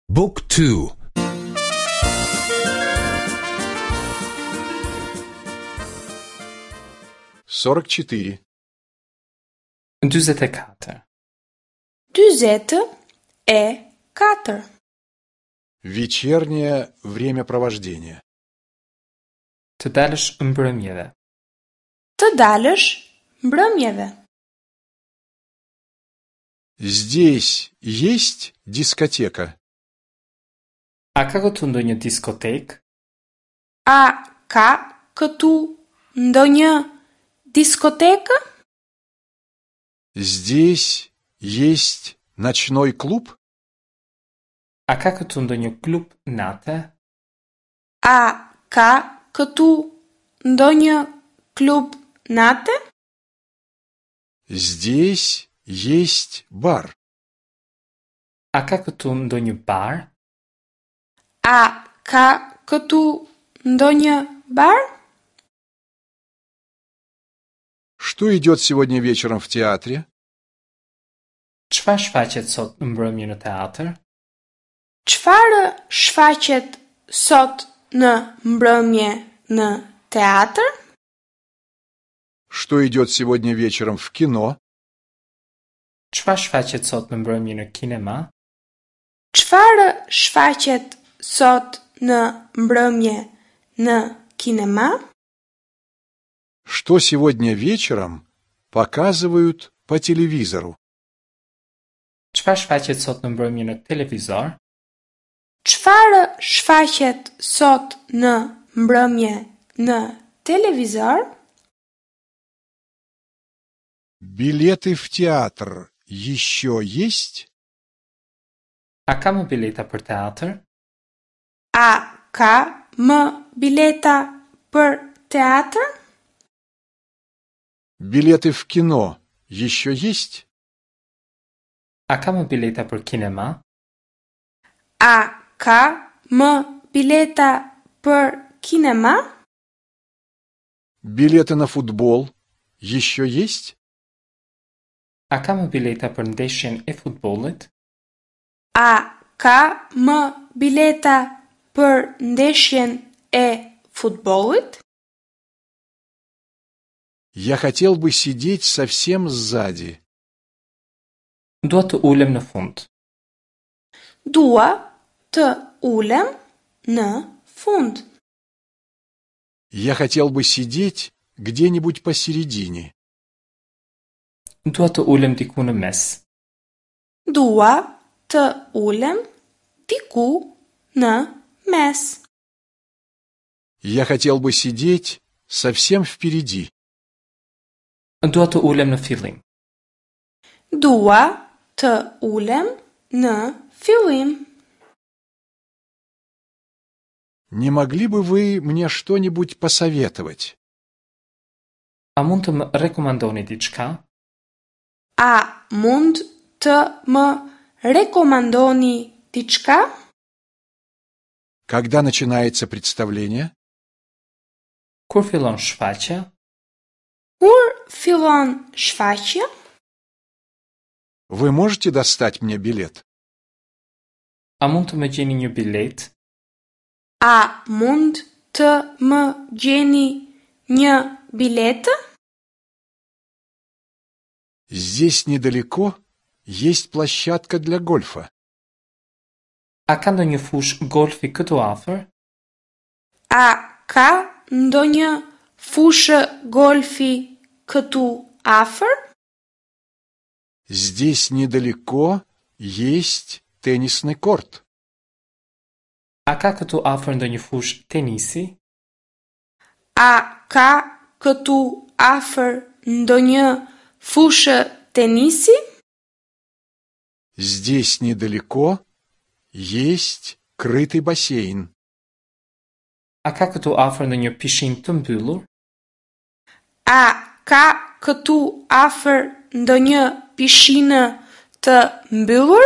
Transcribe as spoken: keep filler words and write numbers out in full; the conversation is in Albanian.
Book two. Сорок четыре. Dyzet e katër. Dyzet e katër. Вечернее времяпровождение. Të dalësh mbrëmjeve. Të dalësh mbrëmjeve. Здесь есть дискотека? A ka këtu ndonjë diskotekë? A ka këtu ndonjë diskotekë? Здесь есть ночной клуб? A ka këtu ndonjë klub nate? A ka këtu ndonjë klub nate? Здесь есть бар. A ka këtu ndonjë bar? A ka këtu ndonjë bar? Что идет сегодня вечером в театре? Çfarë shfaqet sot në mbrëmje në teatr? Çfarë shfaqet sot në mbrëmje në teatr? Что идет сегодня вечером в кино? Çfarë shfaqet sot në mbrëmje në kinema? Çfarë shfaqet sot në mbrëmje në kinema? Что сегодня вечером показывают по телевизору? Çfarë shfaqet sot në mbrëmje në televizor? Çfarë shfaqet sot në mbrëmje në televizor? Билеты в театр еще есть? A ka më bileta për teatr? A ka më bileta për teatr? Билеты в кино еще есть? A ka më bileta për kinema? A ka më bileta për kinema? Билеты на футбол еще есть? A ka më bileta për ndeshjen e futbollit? A ka më bileta për ndeshjen e futbollit? Я хотел бы сидеть совсем сзади. Dua të ulem në fund. Dua të ulem në fund. Я хотел бы сидеть где-нибудь посередине. Dua të ulem diku në mes. Dua të ulem diku në mes. Я хотел бы сидеть совсем впереди. Dua të ulem në fillim. Dua të ulem në fillim. Не могли бы вы мне что-нибудь посоветовать? A mund të më rekomandoni diçka? A mund të më rekomandoni diçka? Когда начинается представление? Kur fillon shfaqja? Kur fillon shfaqja? Вы можете достать мне билет? A mund të më gjeni një bilet? A mund të më gjeni një biletë? Здесь недалеко есть площадка для гольфа. A ka ndonjë fushë golfi këtu afër? A ka ndonjë fushë golfi këtu afër? Здесь недалеко есть теннисный корт. A ka këtu afër ndonjë fushë tenisi? A ka këtu afër ndonjë fushë tenisi? Здесь недалеко есть крытый бассейн. A ka këtu afër ndonjë pishinë të mbyllur? A ka këtu afër ndonjë pishinë të mbyllur?